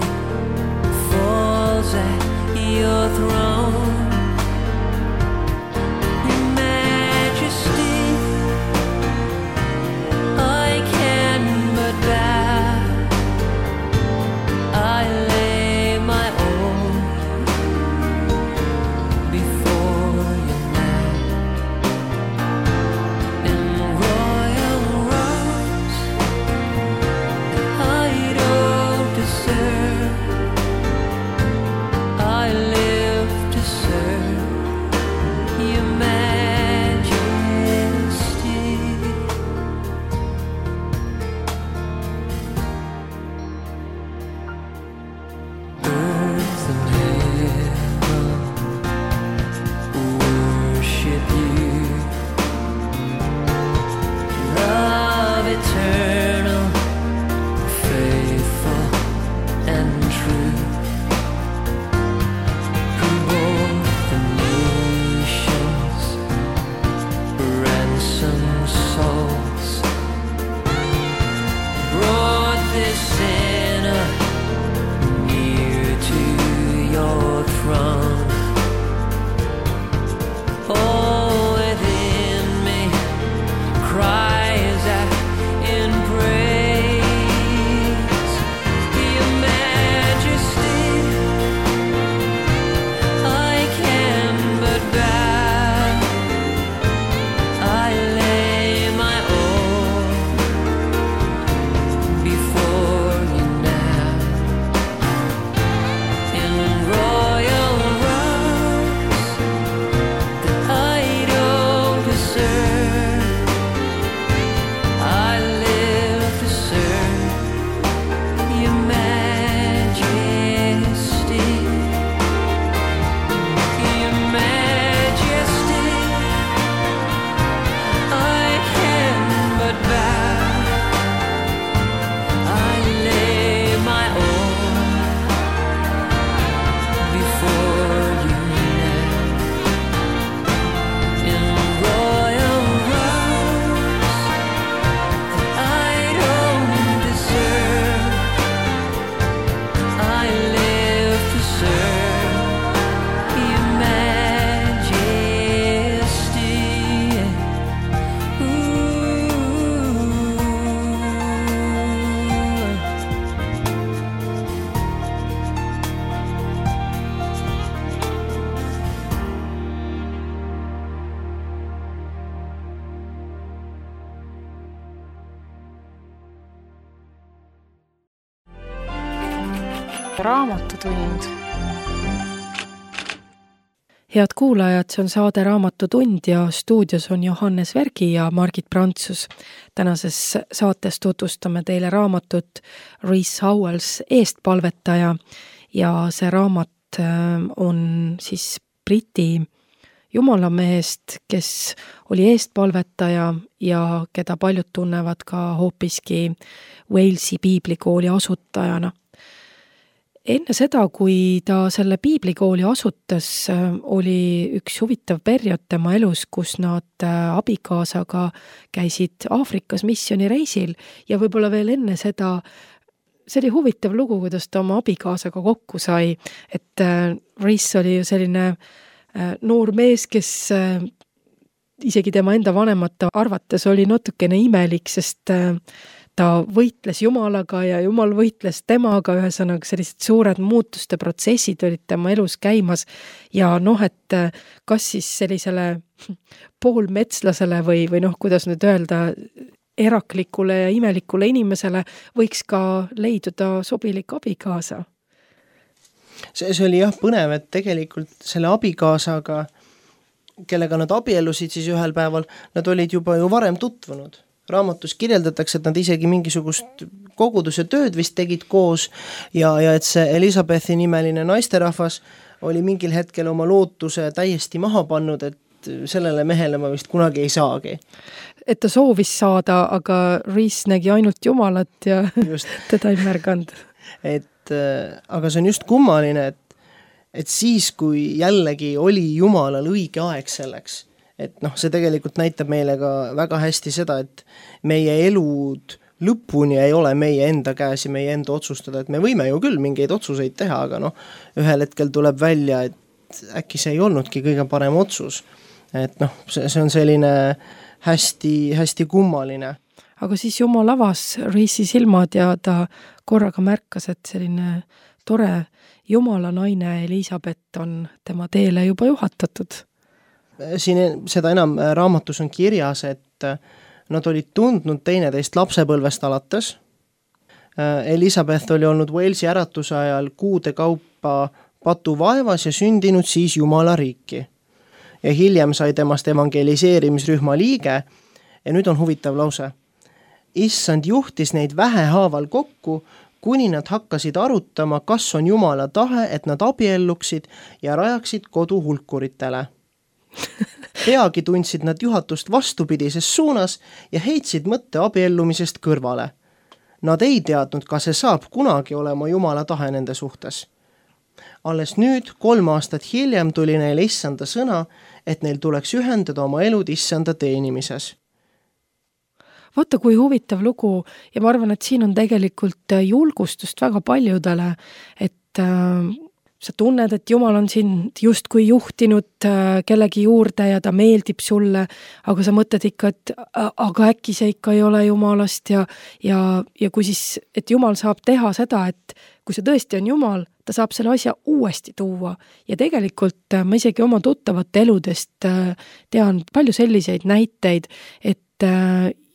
falls at your throne. Your majesty, I can but bow. I lay my own before you now. In royal robes I don't deserve, I live to serve your majesty. Earth and heaven worship you. Love eternal, faithful and true, who bore the nations, ransomed souls, brought this sinner near to your throne. Oh, within me cries out in praise your majesty. I can but bow. I lay my own before you now. In royal robes that I don't deserve, I live to serve your majesty. Your majesty, I can but bow. I lay my own before you now. In royal robes that I don't deserve, I live to serve your majesty. Ooh. Raamatutund. Head kuulajad, see on saade Raamatutund ja stuudios on Johannes Vergi ja Margit Prantsus. Tänases saates tutvustame teile raamatut Rees Howells Eestpalvetaja ja see raamat on siis Briti jumalamehest, kes oli eestpalvetaja ja keda paljud tunnevad ka hoopiski Walesi piiblikooli asutajana. Enne seda, kui ta selle piiblikooli asutas, oli üks huvitav periood tema elus, kus nad abikaasaga käisid Aafrikas missionireisil ja võib-olla veel enne seda, see oli huvitav lugu, kuidas ta oma abikaasaga kokku sai, et Reese oli ju selline noor mees, kes isegi tema enda vanemate arvates oli natukene imelik, sest ta võitles Jumalaga ja Jumal võitles temaga, ühesõnaga sellised suured muutuste protsessid olid tema elus käimas ja noh, et kas siis sellisele poolmetslasele või, või noh, kuidas nüüd öelda, eraklikule ja imelikule inimesele võiks ka leiduda sobilik abikaasa. See, see oli jah põnev, et tegelikult selle abikaasaga, kellega nad abiellusid siis ühel päeval, nad olid juba ju varem tutvunud. Raamatus kirjeldatakse, et nad isegi mingisugust koguduse tööd vist tegid koos ja, ja et see Elisabethi nimeline naisterahvas oli mingil hetkel oma lootuse täiesti maha pannud, et sellele mehele ma vist kunagi ei saagi. Et ta soovis saada, aga Reese nägi ainult Jumalat ja just. teda ei märganud. Et, aga see on just kummaline, et, et siis, kui jällegi oli Jumalal õige aeg selleks, et noh, see tegelikult näitab meile ka väga hästi seda, et meie elud lõpuni ei ole meie enda käes ja meie enda otsustada, et me võime ju küll mingeid otsuseid teha, aga noh, ühel hetkel tuleb välja, et äkki see ei olnudki kõige parem otsus. Et noh, see, see on selline hästi, hästi kummaline. Aga siis Jumal avas Reese'i silmad ja ta korraga märkas, et selline tore Jumala naine Elisabeth on tema teele juba juhatatud. Siin seda enam raamatus on kirjas, et nad olid tundnud teineteist lapsepõlvest alates. Elisabeth oli olnud Walesi äratuse ajal kuude kaupa patuvaevas ja sündinud siis Jumala riiki. Ja hiljem sai temast evangeliseerimisrühma liige ja nüüd on huvitav lause. Issand juhtis neid vähehaaval kokku, kuni nad hakkasid arutama, kas on Jumala tahe, et nad abielluksid ja rajaksid kodu hulkuritele. Peagi tundsid nad juhatust vastupidises suunas ja heitsid mõtte abiellumisest kõrvale. Nad ei teadnud, kas see saab kunagi olema Jumala tahe nende suhtes. Alles nüüd, kolm aastat hiljem tuli neil issanda sõna, et neil tuleks ühendada oma elud issanda teenimises. Vaata, kui huvitav lugu ja ma arvan, et siin on tegelikult julgustust väga paljudele, et äh, sa tunned, et Jumal on sind justkui juhtinud kellegi juurde ja ta meeldib sulle, aga sa mõtled ikka, et aga äkki see ikka ei ole Jumalast ja, ja, ja kui siis, et Jumal saab teha seda, et kui see tõesti on Jumal, ta saab selle asja uuesti tuua ja tegelikult ma isegi oma tuttavate eludest tean palju selliseid näiteid, et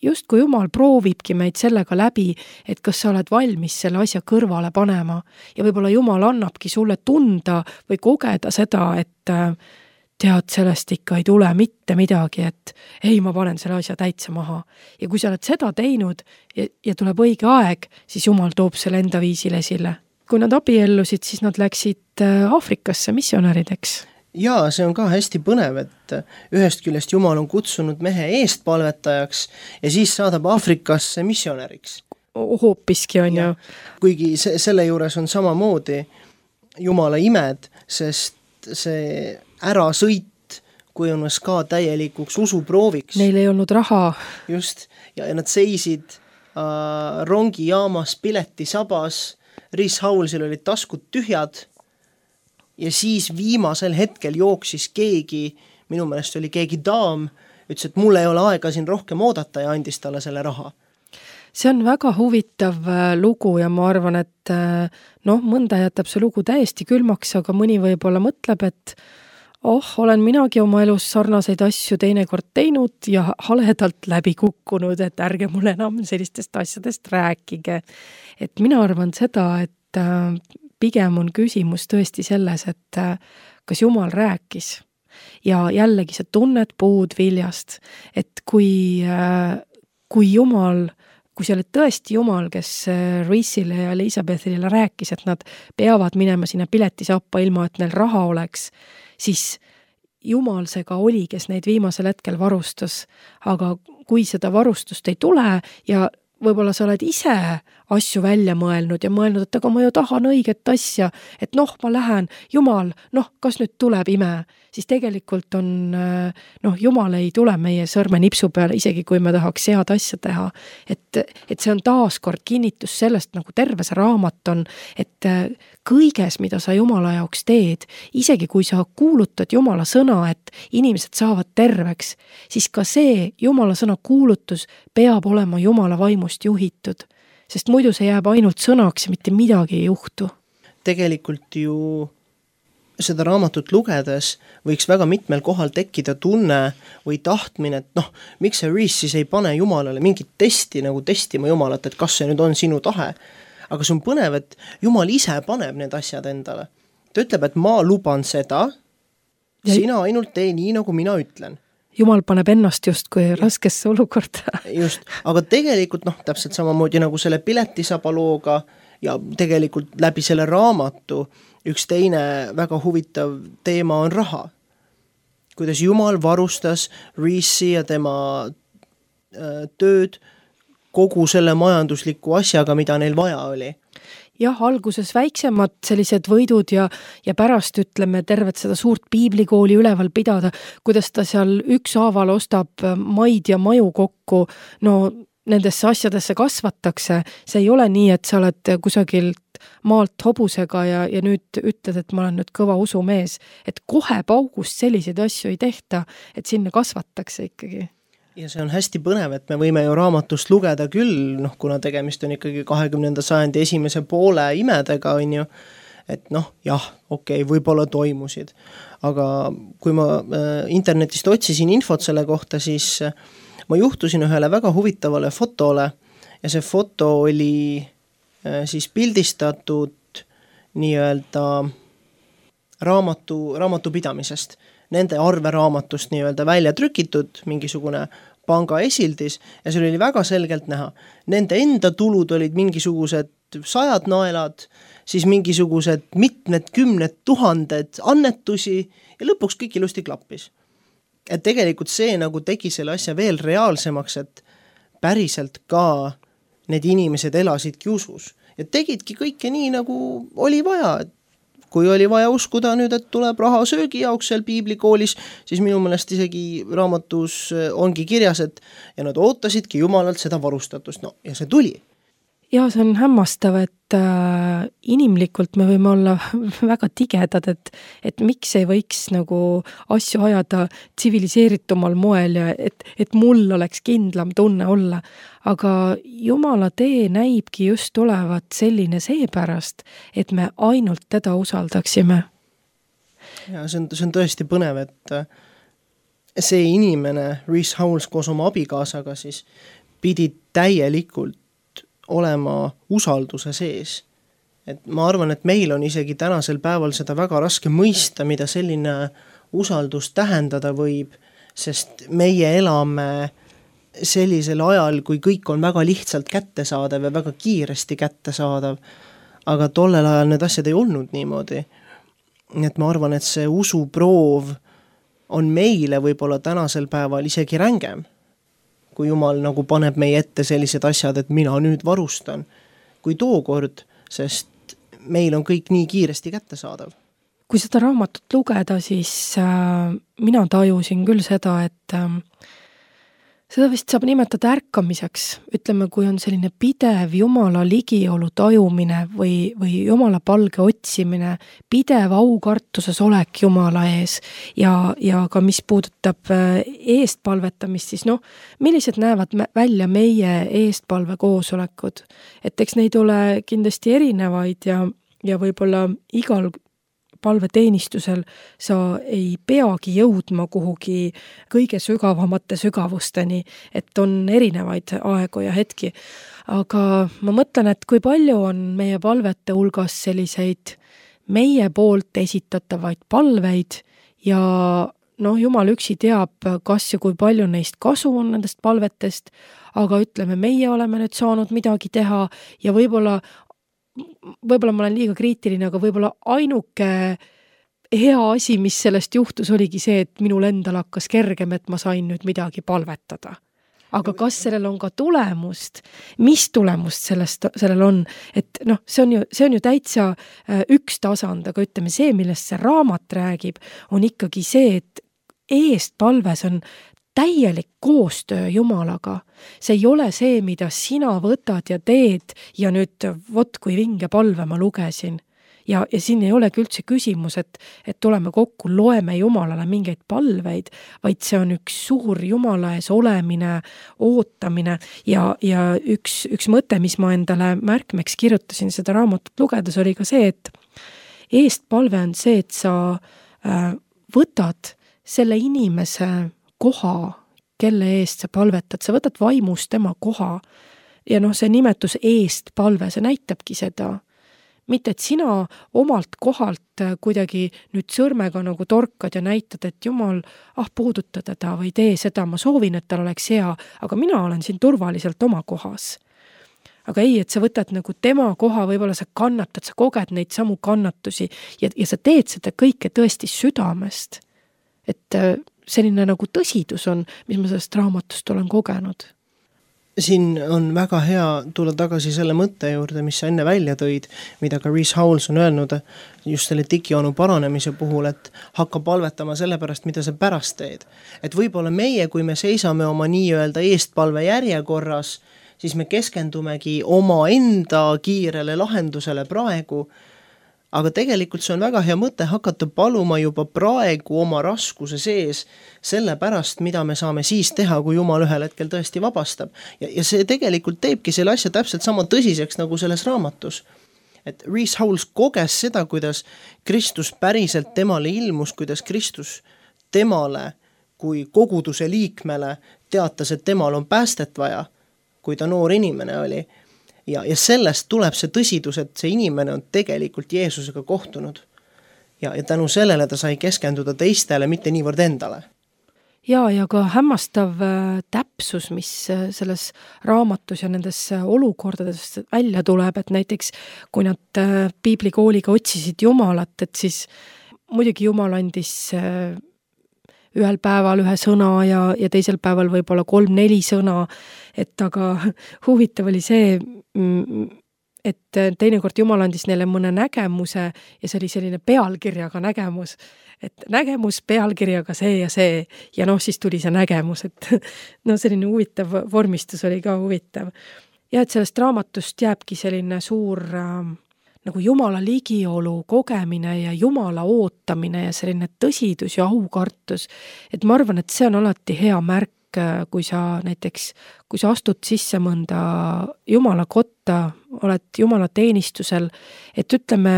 just kui Jumal proovibki meid sellega läbi, et kas sa oled valmis selle asja kõrvale panema ja võib-olla Jumal annabki sulle tunda või kogeda seda, et tead, sellest ikka ei tule mitte midagi, et ei, ma panen selle asja täitsa maha. Ja kui sa oled seda teinud ja, ja tuleb õige aeg, siis Jumal toob selle enda viisil esile. Kui nad abiellusid, siis nad läksid Aafrikasse missionärideks. Jaa, see on ka hästi põnev, et ühest küljest Jumal on kutsunud mehe eestpalvetajaks ja siis saadab Aafrikasse missionäriks. Hoopiski on ju. Kuigi se- selle juures on samamoodi Jumala imed, sest see ärasõit kujunes ka täielikuks usuprooviks. Neil ei olnud raha. Just, ja nad seisid äh, rongijaamas piletisabas, Reese Howellsil olid taskud tühjad, ja siis viimasel hetkel jooksis keegi, minu meelest oli keegi daam, ütles, et mul ei ole aega siin rohkem oodata ja andis talle selle raha. See on väga huvitav lugu ja ma arvan, et noh, mõnda jätab see lugu täiesti külmaks, aga mõni võib-olla mõtleb, et oh, olen minagi oma elus sarnaseid asju teinekord teinud ja haledalt läbi kukkunud, et ärge mulle enam sellistest asjadest rääkige. Et mina arvan seda, et pigem on küsimus tõesti selles, et kas Jumal rääkis ja jällegi sa tunned puud viljast, et kui, kui Jumal, kui see oli tõesti Jumal, kes Reese'ile ja Elisabethile rääkis, et nad peavad minema sinna piletisappa ilma, et neil raha oleks, siis Jumal see ka oli, kes neid viimasel hetkel varustas, aga kui seda varustust ei tule ja võib-olla sa oled ise asju välja mõelnud ja mõelnud, et aga ma ju tahan õiget asja, et noh, ma lähen, Jumal, noh, kas nüüd tuleb ime, siis tegelikult on, noh, Jumal ei tule meie sõrme nipsu peale, isegi kui me tahaks head asja teha. Et, et see on taaskord kinnitus sellest, nagu terve see raamat on, et kõiges, mida sa Jumala jaoks teed, isegi kui sa kuulutad Jumala sõna, et inimesed saavad terveks, siis ka see Jumala sõna kuulutus peab olema Jumala vaimust juhitud, sest muidu see jääb ainult sõnaks ja mitte midagi ei juhtu. Tegelikult ju seda raamatut lugedes võiks väga mitmel kohal tekkida tunne või tahtmine, et noh, miks see Reese siis ei pane Jumalale mingit testi nagu testima Jumalat, et kas see nüüd on sinu tahe. Aga see on põnev, et Jumal ise paneb need asjad endale. Ta ütleb, et ma luban seda, ja sina ainult tee nii, nagu mina ütlen. Jumal paneb ennast justkui raskesse olukorda. Just, aga tegelikult noh, täpselt samamoodi nagu selle piletisaba looga ja tegelikult läbi selle raamatu üks teine väga huvitav teema on raha. Kuidas Jumal varustas Reese'i ja tema äh, tööd kogu selle majandusliku asjaga, mida neil vaja oli. Jah, alguses väiksemad sellised võidud ja, ja pärast ütleme tervet seda suurt piiblikooli üleval pidada, kuidas ta seal ükshaaval ostab maid ja maju kokku, no nendesse asjadesse kasvatakse, see ei ole nii, et sa oled kusagilt maalt hobusega ja, ja nüüd ütled, et ma olen nüüd kõva usumees, et kohe paugust selliseid asju ei tehta, et sinna kasvatakse ikkagi. Ja see on hästi põnev, et me võime ju raamatust lugeda küll, noh, kuna tegemist on ikkagi kahekümnenda sajandi esimese poole imedega, on ju, et noh, jah, okei, okay, võib-olla toimusid. Aga kui ma äh, internetist otsisin infot selle kohta, siis äh, ma juhtusin ühele väga huvitavale fotole ja see foto oli äh, siis pildistatud nii-öelda raamatu, raamatupidamisest. Nende arveraamatust nii-öelda välja trükitud, mingisugune panga esildis ja seal oli väga selgelt näha. Nende enda tulud olid mingisugused sajad naelad, siis mingisugused mitmed kümned tuhanded annetusi ja lõpuks kõik ilusti klappis. Et tegelikult see nagu tegi selle asja veel reaalsemaks, et päriselt ka need inimesed elasidki usus ja tegidki kõike nii, nagu oli vaja, et kui oli vaja uskuda nüüd, et tuleb raha söögi jaoks seal piiblikoolis, siis minu meelest isegi raamatus ongi kirjas, et ja nad ootasidki Jumalalt seda varustatust. No, ja see tuli. Ja see on hämmastav, et äh, inimlikult me võime olla väga tigedad, et, et miks ei võiks nagu asju ajada tsiviliseeritumal moel ja et, et mul oleks kindlam tunne olla. Aga Jumala tee näibki just olevat selline seepärast, et me ainult teda usaldaksime. Ja see on, see on tõesti põnev, et see inimene, Reese Howells koos oma abikaasaga siis pidi täielikult olema usalduse sees. Et ma arvan, et meil on isegi tänasel päeval seda väga raske mõista, mida selline usaldus tähendada võib, sest meie elame sellisel ajal, kui kõik on väga lihtsalt kättesaadav ja väga kiiresti kättesaadav, aga tollel ajal need asjad ei olnud niimoodi. Et ma arvan, et see usuproov on meile võib-olla tänasel päeval isegi rängem, kui Jumal nagu paneb meie ette sellised asjad, et mina nüüd varustan, kui tookord, sest meil on kõik nii kiiresti kättesaadav. Kui seda raamatut lugeda, siis äh, mina tajusin küll seda, et äh, seda vist saab nimetada ärkamiseks. Ütleme, kui on selline pidev Jumala ligiolu tajumine või, või Jumala palge otsimine, pidev aukartuses olek Jumala ees ja, ja ka mis puudutab eestpalvetamist, siis noh, millised näevad välja meie eestpalve koosolekud. Et eks neid ole kindlasti erinevaid ja, ja võib-olla igal palveteenistusel sa ei peagi jõudma kuhugi kõige sügavamate sügavusteni, et on erinevaid aegu ja hetki. Aga ma mõtlen, et kui palju on meie palvete hulgas selliseid meie poolt esitatavaid palveid ja noh, Jumal üksi teab, kas ja kui palju neist kasu on nendest palvetest, aga ütleme, meie oleme nüüd saanud midagi teha ja võib-olla võib-olla ma olen liiga kriitiline, aga võib-olla ainuke hea asi, mis sellest juhtus, oligi see, et minul endal hakkas kergem, et ma sain nüüd midagi palvetada. Aga kas sellel on ka tulemust, mis tulemust sellest, sellel on, et noh, see on ju, see on ju täitsa üks tasand, aga ütleme see, millest see raamat räägib, on ikkagi see, et eestpalves on täielik koostöö Jumalaga. See ei ole see, mida sina võtad ja teed ja nüüd vot kui vinge palve ma lugesin. Ja, ja siin ei olegi üldse küsimus, et, et tuleme kokku, loeme Jumalale mingeid palveid, vaid see on üks suur Jumala ees olemine, ootamine ja, ja üks, üks mõte, mis ma endale märkmeks kirjutasin seda raamatut lugedes, oli ka see, et eestpalve on see, et sa äh, võtad selle inimese koha, kelle eest sa palvetad, sa võtad vaimus tema koha ja noh, see nimetus eestpalve, see näitabki seda. Mitte, et sina omalt kohalt kuidagi nüüd sõrmega nagu torkad ja näitad, et Jumal, ah, puuduta teda või tee seda, ma soovin, et tal oleks hea, aga mina olen siin turvaliselt oma kohas. Aga ei, et sa võtad nagu tema koha, võib-olla sa kannatad, sa koged neid samu kannatusi ja, ja sa teed seda kõike tõesti südamest. Et selline nagu tõsidus on, mis ma sellest raamatust olen kogenud. Siin on väga hea tulla tagasi selle mõtte juurde, mis sa enne välja tõid, mida ka Rees Howells on öelnud just selle digionu paranemise puhul, et hakka palvetama selle pärast, mida sa pärast teed. Et võib-olla meie, kui me seisame oma nii-öelda eestpalve järjekorras, siis me keskendumegi oma enda kiirele lahendusele praegu, aga tegelikult see on väga hea mõte hakata paluma juba praegu oma raskuse sees selle pärast, mida me saame siis teha, kui Jumal ühel hetkel tõesti vabastab. Ja, ja see tegelikult teebki selle asja täpselt sama tõsiseks nagu selles raamatus. Et Rees Howells koges seda, kuidas Kristus päriselt temale ilmus, kuidas Kristus temale kui koguduse liikmele teatas, et temal on päästet vaja, kui ta noor inimene oli. Ja, ja sellest tuleb see tõsidus, et see inimene on tegelikult Jeesusega kohtunud. Ja, ja tänu sellele ta sai keskenduda teistele, mitte niivõrd endale. Ja, ja ka hämmastav täpsus, mis selles raamatus ja nendes olukordades välja tuleb, et näiteks kui nad piiblikooliga otsisid Jumalat, et siis muidugi Jumal andis ühel päeval ühe sõna ja, ja teisel päeval võib-olla kolm-neli sõna, et aga huvitav oli see, et teinekord Jumal andis neile mõne nägemuse ja see oli selline pealkirjaga nägemus, et nägemus pealkirjaga see ja see ja noh, siis tuli see nägemus, et no selline huvitav vormistus oli ka huvitav. Ja et sellest raamatust jääbki selline suur äh, nagu Jumala ligiolu kogemine ja Jumala ootamine ja selline tõsidus ja aukartus, et ma arvan, et see on alati hea märk, kui sa näiteks, kui sa astud sisse mõnda Jumala kotta, oled Jumala teenistusel, et ütleme,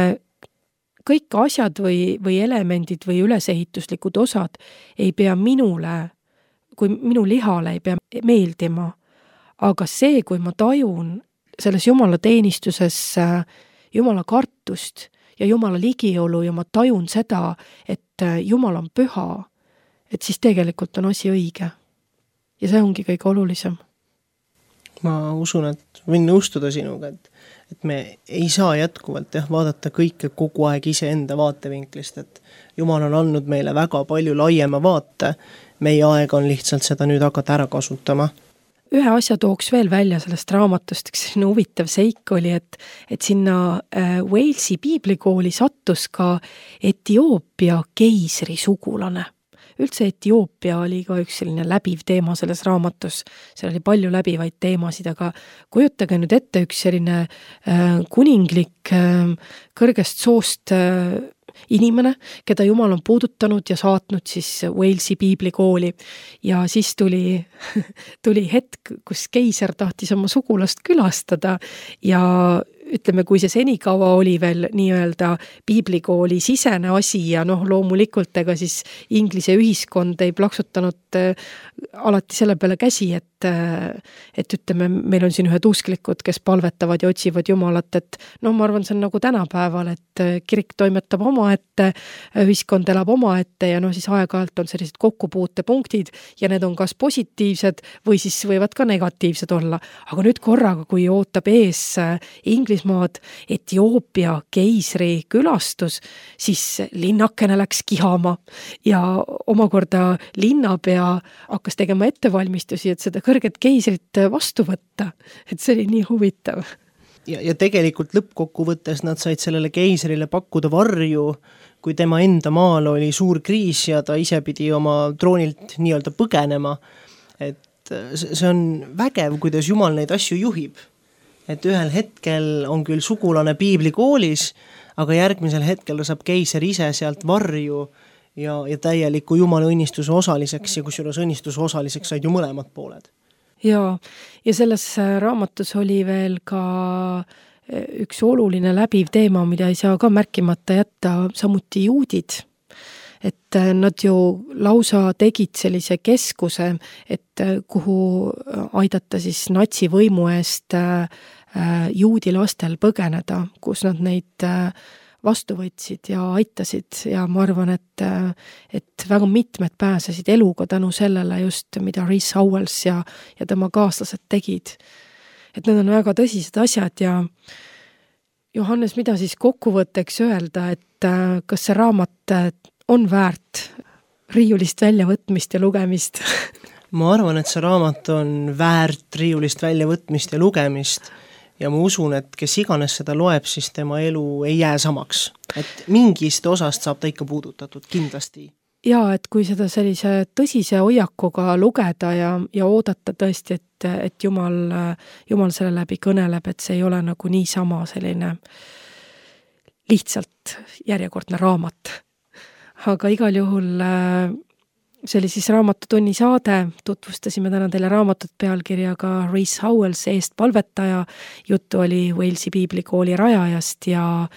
kõik asjad või, või elemendid või ülesehituslikud osad ei pea minule, kui minu lihale ei pea meeldima, aga see, kui ma tajun selles Jumala teenistuses Jumala kartust ja Jumala ligiolu ja ma tajun seda, et Jumal on püha, et siis tegelikult on asi õige. Ja see ongi kõige olulisem. Ma usun, et võin nõustuda sinuga, et, et me ei saa jätkuvalt jah, vaadata kõike kogu aeg ise enda vaatevinklist, et Jumal on andnud meile väga palju laiema vaate, meie aeg on lihtsalt seda nüüd hakata ära kasutama. Ühe asja tooks veel välja sellest raamatust, üks selline huvitav seik oli, et, et sinna äh, Walesi piiblikooli sattus ka Etioopia keisri sugulane. Üldse Etioopia oli ka üks selline läbiv teema selles raamatus, seal oli palju läbivaid teemasid, aga kujutage nüüd ette üks selline äh, kuninglik äh, kõrgest soost äh, inimene, keda Jumal on puudutanud ja saatnud siis Walesi piiblikooli ja siis tuli, tuli hetk, kus keiser tahtis oma sugulast külastada ja ütleme, kui see senikaua oli veel nii-öelda piiblikooli sisene asi ja noh, loomulikult ega siis Inglise ühiskond ei plaksutanud äh, alati selle peale käsi, et, äh, et ütleme, meil on siin ühed usklikud, kes palvetavad ja otsivad Jumalat, et noh, ma arvan, see on nagu tänapäeval, et kirik toimetab oma ette, ühiskond elab oma ette ja noh, siis aeg-ajalt on sellised kokkupuutepunktid ja need on kas positiivsed või siis võivad ka negatiivsed olla. Aga nüüd korraga, kui ootab ees Inglismaa välismaad Etioopia keisri külastus, siis linnakene läks kihama ja omakorda linnapea hakkas tegema ettevalmistusi, et seda kõrget keisrit vastu võtta. Et see oli nii huvitav. Ja, ja tegelikult lõppkokkuvõttes nad said sellele keisrile pakkuda varju, kui tema enda maal oli suur kriis ja ta ise pidi oma troonilt nii-öelda põgenema. Et see on vägev, kuidas Jumal neid asju juhib. Et ühel hetkel on küll sugulane piiblikoolis, aga järgmisel hetkel ta saab keiser ise sealt varju ja, ja täieliku Jumala õnnistuse osaliseks ja kusjuures õnnistuse osaliseks said ju mõlemad pooled. Ja, ja selles raamatus oli veel ka üks oluline läbiv teema, mida ei saa ka märkimata jätta, samuti juudid. Et nad ju lausa tegid sellise keskuse, et kuhu aidata siis natsivõimu eest juudi lastel põgeneda, kus nad neid vastu võtsid ja aitasid ja ma arvan, et, et väga mitmed pääsesid eluga tänu sellele just, mida Rees Howells ja, ja tema kaaslased tegid. Et need on väga tõsised asjad ja Johannes, mida siis kokkuvõtteks öelda, et kas see raamat on väärt riiulist väljavõtmist ja lugemist? Ma arvan, et see raamat on väärt riiulist väljavõtmist ja lugemist ja ma usun, et kes iganes seda loeb, siis tema elu ei jää samaks. Et mingist osast saab ta ikka puudutatud, kindlasti. Ja, et kui seda sellise tõsise hoiakuga lugeda ja, ja oodata tõesti, et, et Jumal, Jumal selle läbi kõneleb, et see ei ole nagu niisama selline lihtsalt järjekordne raamat. Aga igal juhul see oli siis Raamatutunni saade, tutvustasime täna teile raamatut pealkirjaga Rees Howells, eest palvetaja, juttu oli Walesi piiblikooli rajajast ja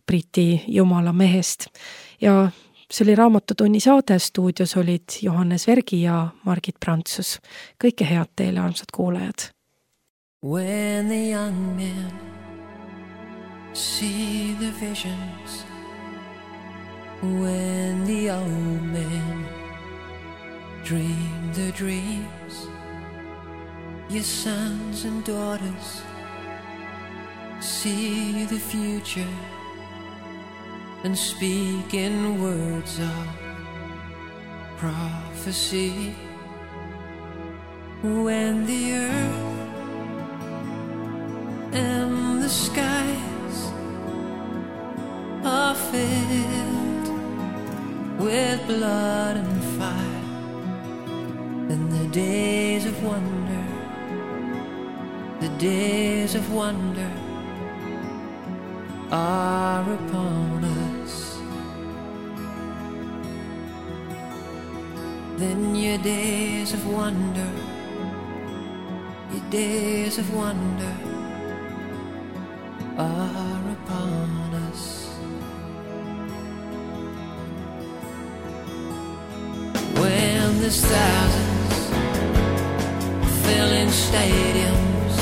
Briti Jumala mehest. Ja see oli Raamatutunni saade, stuudios olid Johannes Vergi ja Margit Prantsus. Kõike head teile, armsad kuulajad. When the young men see the visions, when the old men dream the dreams, your sons and daughters see the future and speak in words of prophecy. When the earth and the skies are filled with blood and fire, and the days of wonder, the days of wonder are upon us. Then your days of wonder, your days of wonder are upon us. When there's thousands filling stadiums,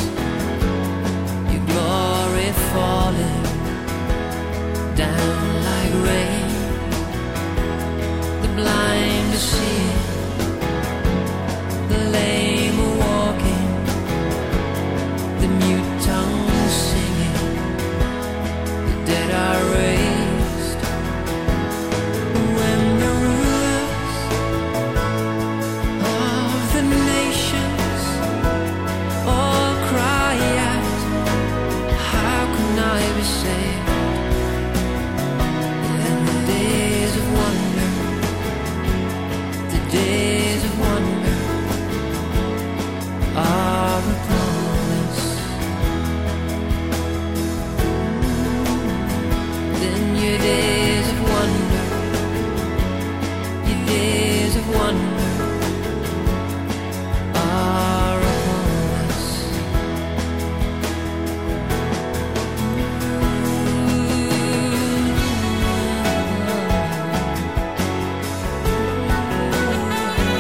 your glory falling down like rain, the blind to see, the lame are walking, the mute tongues singing, the dead are raised. When the rulers of the nations all cry out, how can I be saved? Days of wonder are upon us. Then your days of wonder, your days of wonder are upon us. Ooh.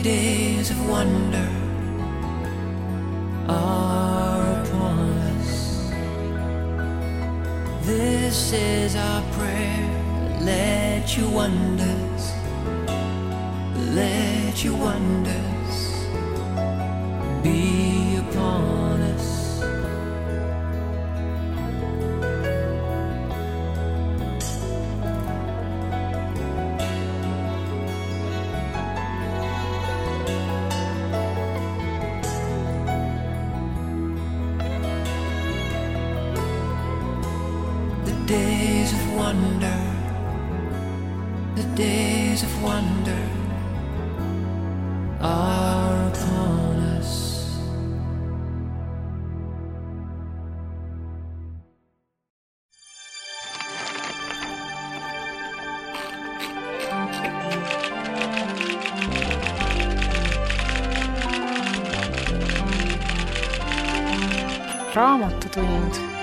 days of wonder are upon us. This is our prayer. Let your wonders, let your wonders be upon us. The days of wonder, the days of wonder are upon us. Raamatutund.